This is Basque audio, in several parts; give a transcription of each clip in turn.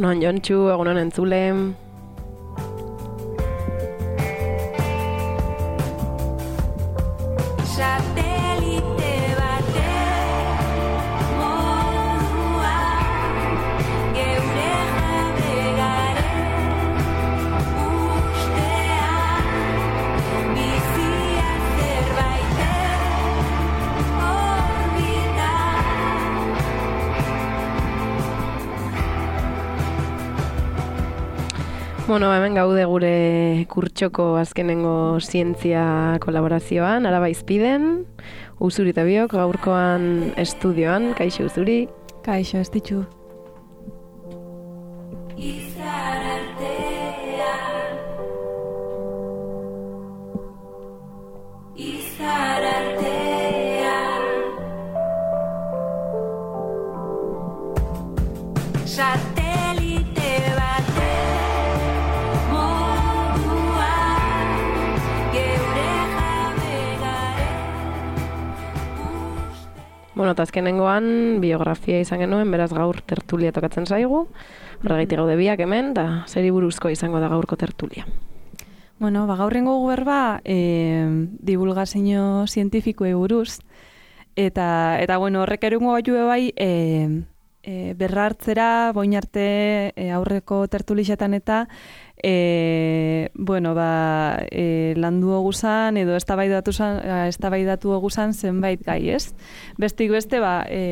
Egunon Jontxu, egunon entzule. Bueno, hemen gaude gure kurtsoko azkenengo zientzia kolaborazioan, Araba Izpiden, Uzuri eta biok, gaurkoan estudioan, kaixo Uzuri. Kaixo, estitxu. Bueno, eta azkenengoan biografia izan genuen, beraz gaur tertulia tokatzen zaigu. Horregatik gaude biak hemen, da zeri buruzko izango da gaurko tertulia. Bueno, gaurrengo berba divulgazio zientifikoei buruz. Eta bueno, horrek erungo gaitu bai berrartzera, boin arte aurreko tertulixetan eta landu oguzan edo eztabaidatu oguzan zenbait gai, ez? Bestik beste,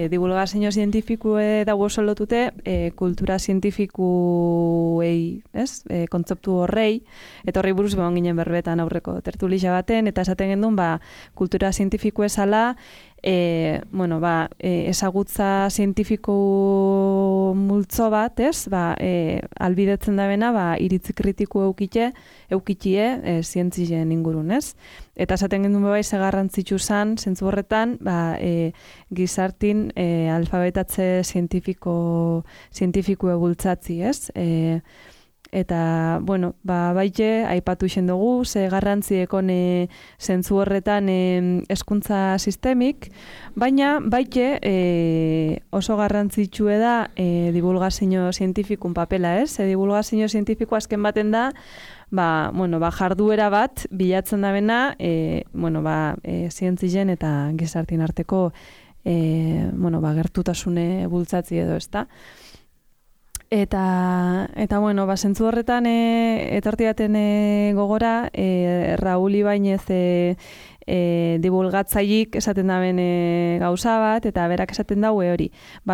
divulgazio zientifikoe dago oso lotute kultura zientifikuei, ez? Kontzeptu horrei, eta horrei buruz begon ginen berbetan aurreko tertulixa baten, eta esaten gendun, kultura zientifiko esala, ezagutza zientifiko multzo bat, ez? Albidetzen da bena, iritzi kritiko eukitie zientzien ingurun, ez? Eta esaten gendun ze garrantzitsu zan, zentzu horretan, gizartin alfabetatze zientifikoe bultzatzi, ez? Eta, baite, aipatu isen dugu, ze garrantzi ekon zentzu horretan hezkuntza sistemik, baina baite oso garrantzitsue da divulgazio zientifikun papela, ez? Divulgazio zientifiko azken baten da, jarduera bat bilatzen da bena, zientzien eta gizartin arteko gertutasune bultzatzi edo, ez da? Eta zentzu horretan etortiaten gogora, Raúl Ibáñez divulgatzailik esaten daben gauza bat, eta berak esaten daue hori.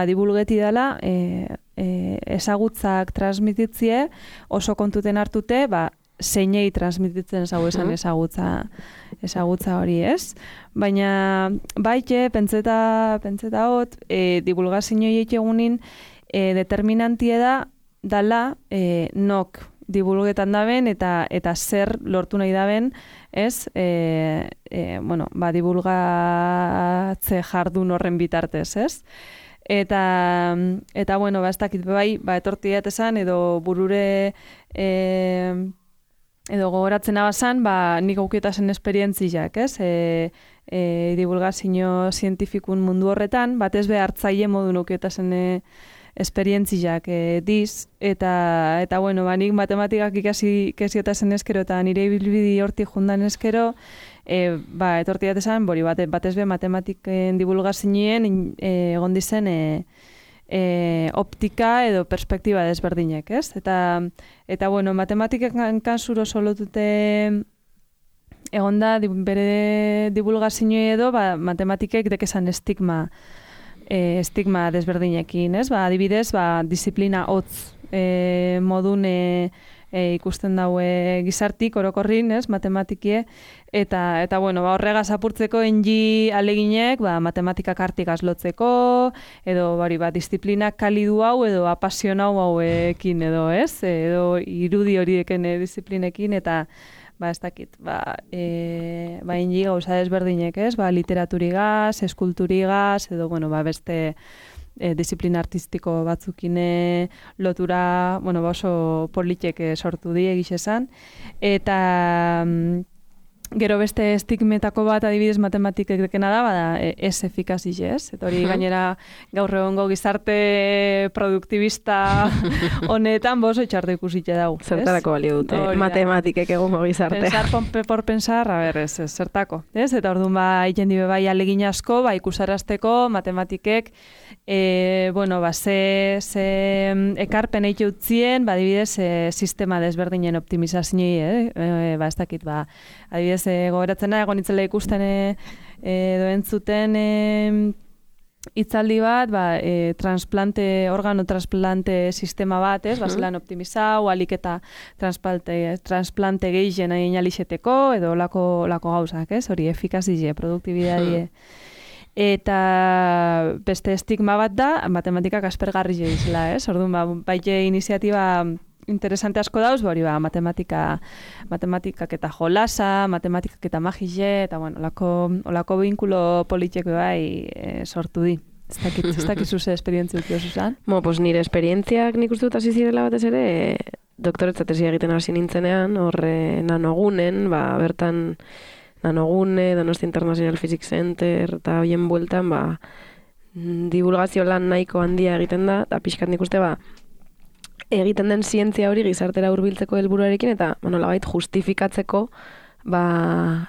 Divulgeti dela, ezagutzak transmititzie oso kontuten hartute, zeinei transmititzen zau esan ezagutza hori, ez? Baina, baite, pentseta hot, divulgazioiek egunin, determinantie da dala nok divulgetan daben eta zer lortu nahi daben, ez? Divulgatze jardun horren bitartez, ez? Eta ez dakit etortiat esan edo burure edo gogoratzen abazan, nik aukietasen esperientziak, ez? Divulgazio zientifikun mundu horretan, batez hartzaile modu aukietasen esperientziak diz, eta nik matematikak ikasiotasen eskero eta nire ibilbidi hortik jundan eskero, etortiat esan, batez matematiken divulgazioen egon dizen optika edo perspektiba desberdinek, ez? Eta matematikak kansuro oso lotute egon da, bere divulgazioe edo, matematikek dekezan estigma desberdinekin, ez? Adibidez, disiplina hotz modun ikusten daue gizartik, orokorrin, ez? Matematikie, eta horregaz apurtzeko engi aleginek, matematikak artikaz lotzeko, edo disiplinak kalidu hau, edo apasionau hauekin, edo, ez? Edo irudi horieken disiplinekin, eta ez dakit, engi gauza desberdinek, ez? Literaturigaz, eskulturigaz, edo, beste disiplina artistiko batzukine lotura, oso politek sortu die egiz esan. Eta Gero beste estigmetako bat adibidez matematikekena da, bada ez efikazie, ez? Eta hori gainera gaur egongo gizarte produktibista honetan boso itxarte ikusite dago. Zertarako balio dute, matematikek egongo gizartea. Pensar por pensar, a ver, ez, zertako. Ez? Eta orduan egiten dibe bai alegin asko, ikusarazteko matematikek ze ekarpen eite utzien, adibidez, sistema desberdinen optimizazioi, ez dakit, adibidez, gogoratzena, egon itzela ikusten edo entzuten hitzaldi bat, organo transplante sistema bat, ez, zelan optimizau, alik eta transplante gehien nahi alixeteko, edo lako gauzak, ez, hori efikazie, produktibidadie. Eta beste estigma bat da, matematikak aspergarri izela, ez, orduan, baite iniziatiba interesante asko dauz, matematikak eta jolasa, matematikak eta magize, eta bueno, olako binkulo politiek bai sortu di. Ez dakit zuze esperientzia dut Susan? Pues nire esperientziak nik uste dut hasi zirela batez ere, doktoretza tesia egiten hasi nintzenean, horre nanogunen, bertan nanogune, Donostia International Physics Center, eta hoien bueltan, divulgazio lan nahiko handia egiten da, eta pixkat nik uste egiten den zientzia hori gizartera hurbiltzeko helburuarekin eta nolabait justifikatzeko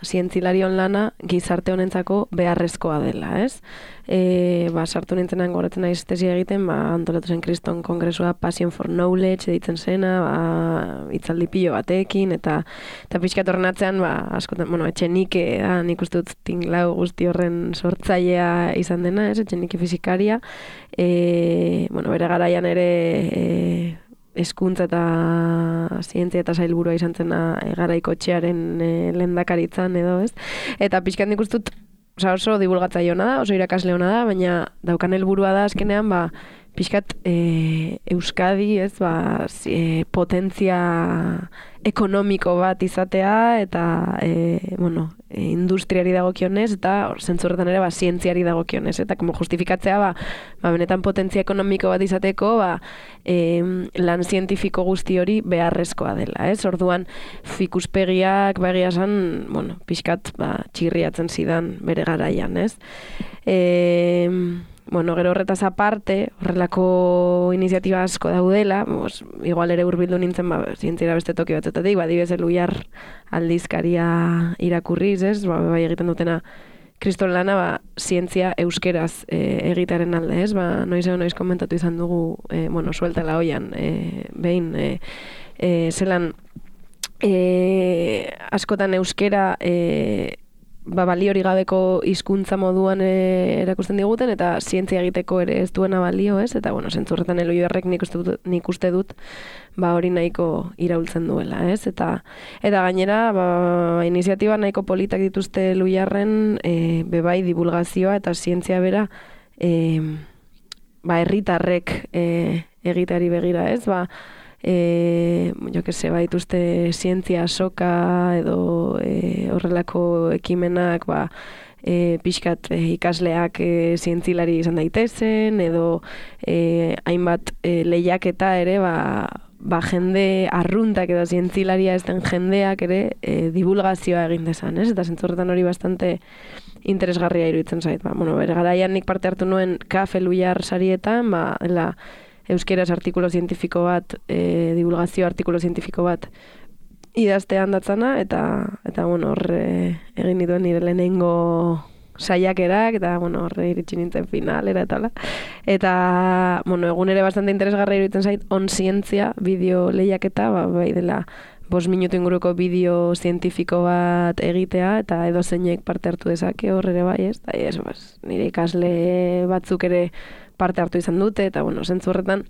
zientzilarion lana gizarte honentzako beharrezkoa dela, ez? Sartu nintzenan goratzen naiz tesia egiten, antolatu zen Kriston Kongresua Passion for Knowledge deitzen zena, hitzaldi pilo batekin eta pixkat horren atzean, askotan, Etxenike da, nik uste dut tinglau guzti horren sortzailea izan dena, ez? Etxenike fizikaria, bere garaian ere hezkuntza eta zientzia eta sailburua izan zena garaikotxearen lehendakaritzan edo, ez? Eta pixkat nik uste dut oso divulgatzaile hona da, oso irakasle hona da, baina daukan helburua da azkenean, pixkat Euskadi, ez, potentzia ekonomiko bat izatea eta, industriari dagokionez eta zentzurretan ere zientziari dagokionez eta justifikatzea benetan potentzia ekonomiko bat izateko lan zientifiko guzti hori beharrezkoa dela, ez? Orduan ikuspegiak egia esan, pixkat txirriatzen zidan bere garaian, ez? Gero horretaz aparte, horrelako iniziatiba asko daudela, igual ere hurbildu nintzen zientziara beste toki batzetatik, dibez Eluyar aldizkaria irakurriz, ez? Bai egiten dutena kriston lana, zientzia euskeraz egitaren alde, ez? Noiz komentatu izan dugu, sueltela hoian, behin, zelan askotan euskera balio hori gabeko hizkuntza moduan erakusten diguten eta zientzia egiteko ere ez duena balio, ez? Eta zentzurretan Eluyarrek nik uste dut hori nahiko iraultzen duela, ez? Eta gainera iniziatiba nahiko politak dituzte Eluyarren bebai divulgazioa eta zientzia bera herritarrek egiteari begira, ez? Baituzte zientzia soka edo horrelako ekimenak pixkat ikasleak zientzilari izan daitezen edo hainbat lehiaketa ere jende arruntak edo zientzilaria ez den jendeak ere divulgazioa egin dezan, ez? Eta zentzurretan hori bastante interesgarria iruditzen zait. Bere garaian nik parte hartu nuen KAF Eluyar sarietan, euskeraz artikulo zientifiko bat, divulgazio artikulo zientifiko bat idaztean datzana, eta horre egin dituen nire lehenengo saiakerak, eta horre iritsi nintzen finalera, eta egun ere bastante interesgarra iruditzen zait, on zientzia, bideo lehiaketa, bai dela 5 minutu inguruko bideo zientifiko bat egitea, eta edo zeinek parte hartu dezake horre ere bai, ez? Nire ikasle batzuk ere parte hartu izan dute, eta zentzu horretan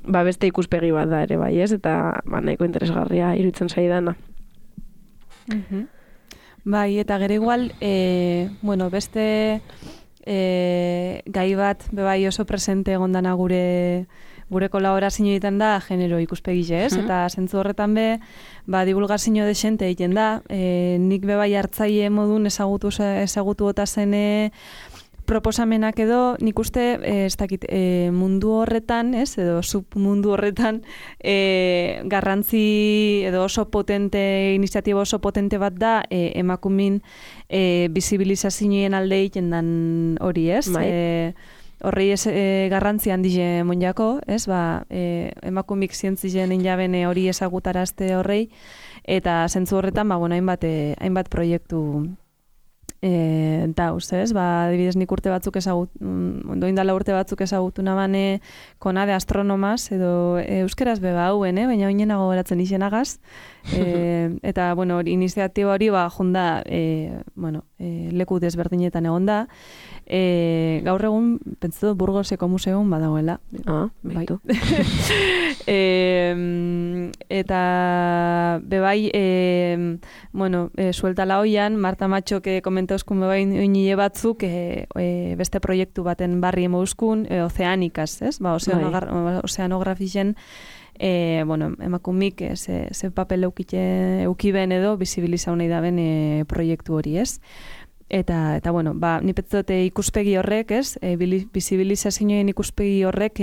beste ikuspegi bat da ere bai, ez? Eta nahiko interesgarria iruditzen zaidana. Bai, eta gero igual, beste gai bat bebai oso presente egondana gure kolaborazio egiten da genero ikuspegi, ez? Eta zentzu horretan divulgazio desente egiten da, nik bebai hartzaile modun ezagutu eta zen proposamenak edo, nik uste, ez dakit, mundu horretan, ez, edo submundu horretan, garrantzi edo oso potente, iniziatiba oso potente bat da, emakumin bizibilizazioen alde egiten dan hori, ez? Horrei ez garrantzi handize monjako, ez? Emakumik zientzien injaben hori ezagutarazte horrei, eta zentzu horretan, hainbat proiektu dauz, ez? Adibidez, nik urte batzuk doindala urte batzuk ezagutu nabane konade astronomaz, edo euskeraz beba hauen, baina oinenago geratzen izenagaz. Eta, iniziatiba hori, junda, leku desberdinetan egon da. Gaur egun, pentsatu, Burgoseko museoan badagoela. Baitu. Eta, bebai, sueltala hoian, Marta Matxok komentauzkun bebai oinile batzuk beste proiektu baten barri emauskun, ozeanikaz, ez? Ozeanografien emakumik ze papel eukiben edo bizibilizau nahi daben proiektu hori, ez? Eta ni petzote ikuspegi horrek, ez? Bizibilizazioen ikuspegi horrek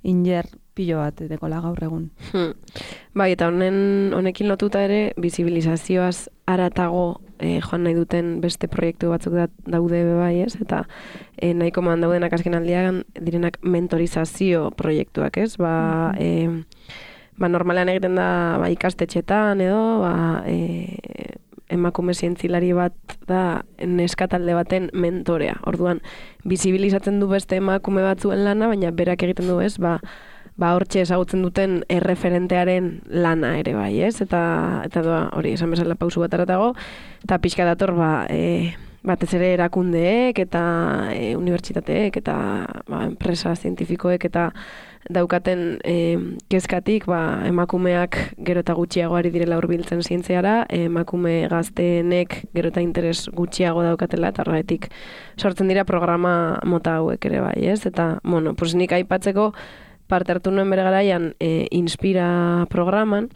inger pilo bat dekola gaur egun. Bai, eta honekin lotuta ere, bizibilizazioaz aratago joan nahi duten beste proiektu batzuk daude bai, ez? Eta nahiko man daudenak azken aldian direnak mentorizazio proiektuak, ez? Normalean egiten da ikastetxetan edo, emakume zientzilari bat da neskatalde baten mentorea. Orduan, bizibilizatzen du beste emakume batzuen lana, baina berak egiten du, ez? Hortxe ezagutzen duten erreferentearen lana ere bai, ez? Eta hori, esan bezala pausu bat aratago, eta pixka dator, batez ere erakundeek, eta unibertsitateek, eta enpresa zientifikoek, eta daukaten kezkatik, emakumeak gero eta gutxiago ari direla hurbiltzen zientziara, emakume gazteenek gero eta interes gutxiago daukatela, eta horretik sortzen dira programa mota hauek ere bai, ez? Eta, nik aipatzeko, parte hartu nuen bere garaian Inspira programan,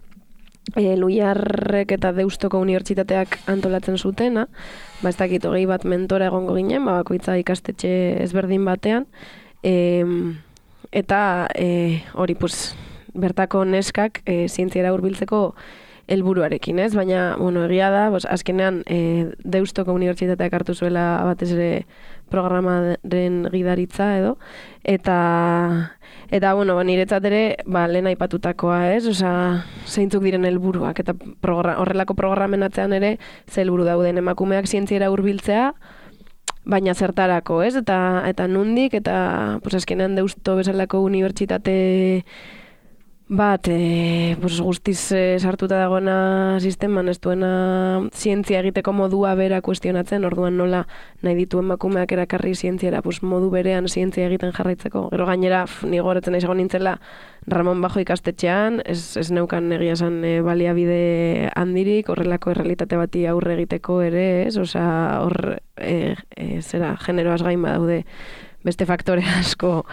Luiarrek eta Deustoko unibertsitateak antolatzen zutena, ez dakit 20 bat mentora egongo ginen, bakoitza ikastetxe ezberdin batean, eta hori, bertako neskak zientziara hurbiltzeko helburuarekin, ez? Baina, egia da, azkenean Deustoko unibertsitateak hartu zuela batez ere programaren gidaritza edo, eta niretzat ere, lehen aipatutakoa, ez? Zeintzuk diren helburuak, eta horrelako programen atzean ere, ze helburu dauden emakumeak zientziara hurbiltzea, baina zertarako, ez? Eta nundik, eta azkenean Deusto bezalako unibertsitate bat, guztiz sartuta dagoena sisteman, ez duena zientzia egiteko modua bera kuestionatzen, orduan nola nahi ditu emakumeak erakarri zientziara, modu berean zientzia egiten jarraitzeko. Gero gainera, ni goretzen nahi nintzela, Ramon Bajo ikastetxean, ez neukan egia esan baliabide handirik, horrelako errealitate bati aurre egiteko ere, ez? Generoaz gain badaude beste faktore asko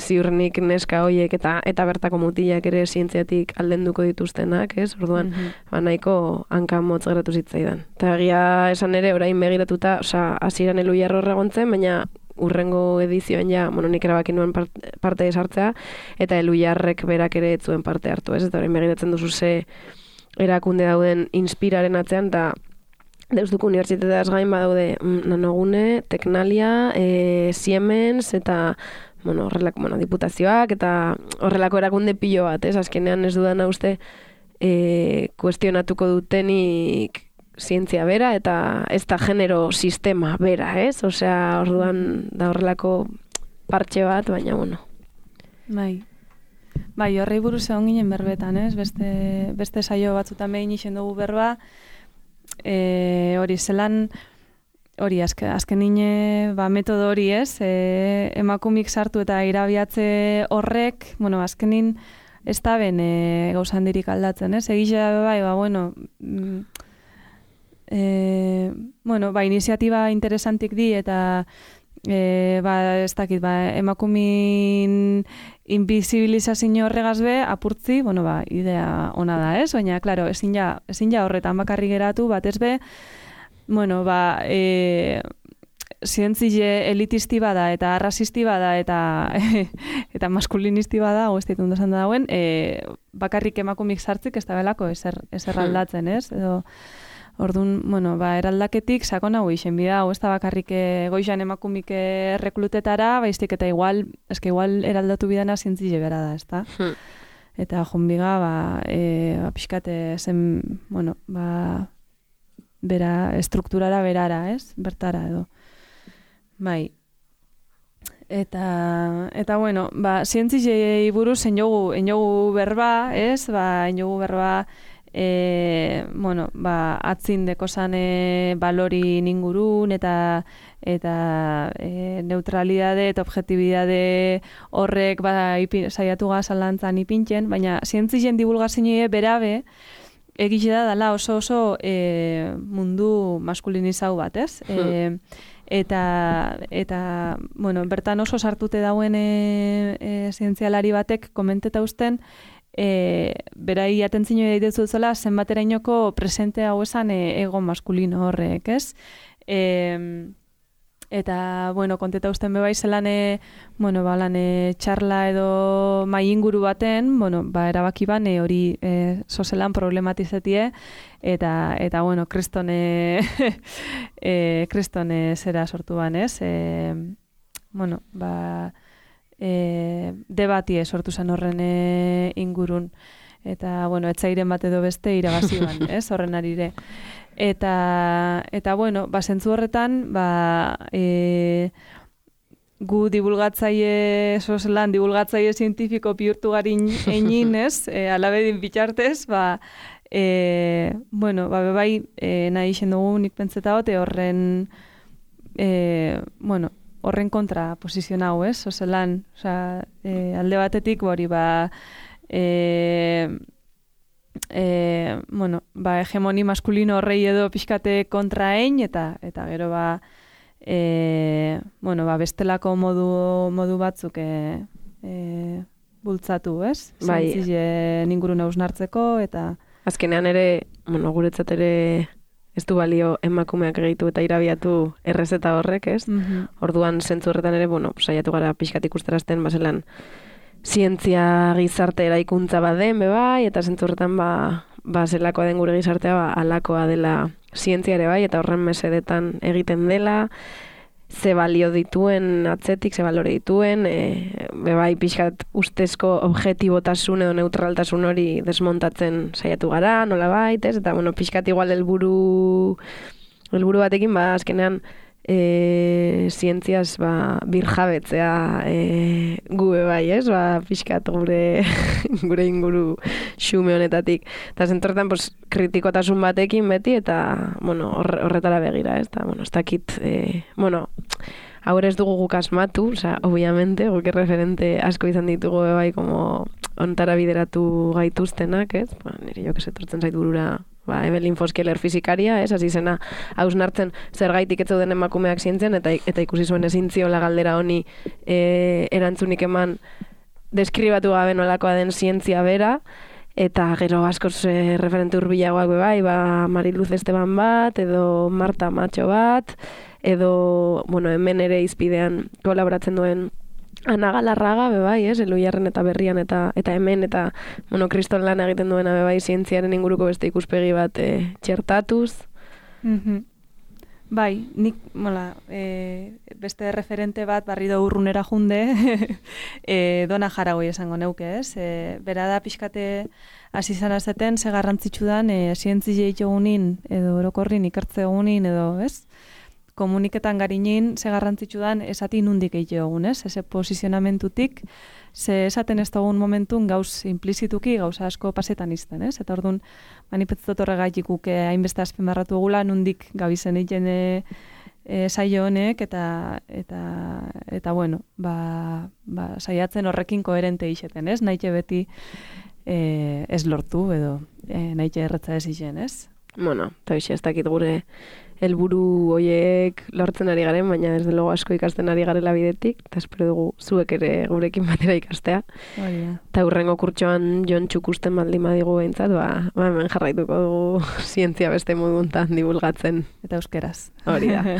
ziurnik neska hoiek eta bertako mutilak ere zientziatik aldenduko dituztenak, ez? Orduan, nahiko hanka motz geratu zitzaidan. Eta egia esan ere, orain begiratuta, hasieran Luiarro erregontzen, baina urrengo edizioan nik erabaki nuen parte esartzea, eta Luiarrek berak ere etzuen parte hartu, ez? Eta orain begiratzen duzu ze erakunde dauden Inspiraren atzean, eta Deustuko unibertsitateaz gain badaude Nanogune, Teknalia, Siemens, eta horrelako diputazioak, eta horrelako erakunde pilo bat, ez? Azkenean ez dudana uste kuestionatuko dutenik zientzia bera, eta ez da genero sistema bera, ez? Orduan da horrelako partxe bat, baina Bai, horrei buruz egon ginen berbetan, ez? Beste saio batzutan behin isen dugu berba, hori zelan, hori azken nine metodo hori, ez? Emakumik sartu eta irabiatze horrek, azkenin ez da ben gauzandirik aldatzen, ez? Egizea bai, iniziatiba interesantik di eta ez dakit, emakumin inbizibilizazio horregaz be, apurtzi, idea ona da, ez? Baina, klaro, ezin ja horretan bakarri geratu, batez be, zientzile elitisti bada eta arrasisti bada eta maskulinisti bada, ez ditut ondo esan dauen, bakarrik emakumik sartzik ez da belako ezer aldatzen, ez? Edo, orduan, bueno, eraldaketik sakon hau isen bida, ez da bakarrik goizan emakumik reklutetara, baiztik eta igual eraldatu bidana zientzile bera da, ez da? Eta jonbiga, pixkate zen, bueno, bera, estrukturara berara, ez? Bertara edo. Bai. Eta bueno, zientzilei buruz enjogu berba, ez? Enjogu berba, bueno, atzin dekozan balori ningurun eta neutralidade eta objetibidade horrek saiatu gazalantzan ipintzen, baina zientzilen divulgazioa berabe egize da dela oso mundu maskulinizau bat, ez? Eta bueno, bertan oso sartute dauen zientzialari batek komenteta usten berai atentzio deitu zela zenbaterainoko presente hau esan ego maskulino horrek, ez? Eta, bueno, konteta usten bebai zelan bueno, txarla edo mai inguru baten, bueno, erabaki bane hori zozelan problematizetie eta bueno, kristone zera sortu banez, bueno, debatie sortu zen horren ingurun. Eta, bueno, etzairen bat edo beste irabazi ban, ez, horren arire. Eta bueno, zentzu horretan, gu divulgatzaile, divulgatzaile zientifiko bihurtu garin egin, ez, alabedin bitxartez, bueno, bebai, nahi isen dugu nik pentseta hote horren, bueno, horren kontra posizionau, ez, ozelan, alde batetik, hori, bueno, hegemoni maskulino horrei edo pixkate kontraein eta gero bueno, bestelako modu batzuk bultzatu, ez? Zientzile ingurune hausnartzeko eta azkenean ere, bueno, guretzat ere ez du balio emakumeak gehitu eta irabiatu errezeta horrek, ez? Orduan zentzu horretan ere, bueno, saiatu gara pixkat ikusterazten bazelan zientzia gizarte eraikuntza baden, bai, eta zentzu horretan zelakoa den gure gizartea alakoa dela zientzia ere bai, eta horren mesedetan egiten dela, ze balio dituen atzetik, ze balore dituen, bai, pixkat ustezko objetibotasun edo neutraltasun hori desmontatzen saiatu gara, nola baitez, eta bueno, pixkat igual helburu batekin, azkenean zientziaz birjabetzea gube bai, ez? Pixkat gure inguru xume honetatik. Eta zentorretan, kritikotasun batekin beti, eta, bueno, horretara begira, ez? Eta, bueno, ez dakit, bueno, haur ez dugu guk asmatu, obviamente, guk referente asko izan ditugu bai, como ontara bideratu gaituztenak, ez? Nire jo kesetortzen zait burura Evelyn Foskeler fizikaria, hasi zena hausnartzen zergaitik ez zeuden emakumeak zientzen, eta ikusi zuen ezin ziola galdera honi erantzunik eman deskribatu gabe nolakoa den zientzia bera, eta gero askoz referente hurbilagoak bai, Mariluz Esteban bat, edo Marta Macho bat, edo, bueno, hemen ere izpidean kolaboratzen duen Ana Galarraga, bebai, Eluiarren eta Berrian eta hemen, eta kriston lan egiten duena, bebai, zientziaren inguruko beste ikuspegi bat txertatuz. Bai, nik, beste referente bat barrido urrunera junde, Dona Jaragoi esango neuke, ez? Bera da pixkate hasi zan azeten, ze garrantzitsu dan, zientzile itogunin, edo orokorrin ikertze egunin, edo, ez? Komuniketan garinin, ze garrantzitsu dan, esati nundik egite egun, ez? Eze posizionamentutik, ze esaten ez dugun momentun gauz implizituki, gauza asko pasetan izten, ez? Eta orduan, manipetzatot horregaitik uke hainbeste azpimarratu egula, nundik gabizen egiten saio honek, eta bueno, saiatzen horrekin koherente izeten, ez? Naite beti ez lortu, edo naite erretza ez izen, ez? Bueno, eta ez dakit gure helburu hoiek lortzen ari garen, baina desde luego asko ikasten ari garela bidetik, eta espero dugu zuek ere gurekin batera ikastea. Eta hurrengo kurtsoan Jon Txukusten baldin badigu behintzat, hemen jarraituko dugu zientzia beste moduntan divulgatzen. Eta euskeraz. Hori da.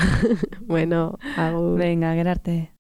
Bueno, agur. Venga, gerarte.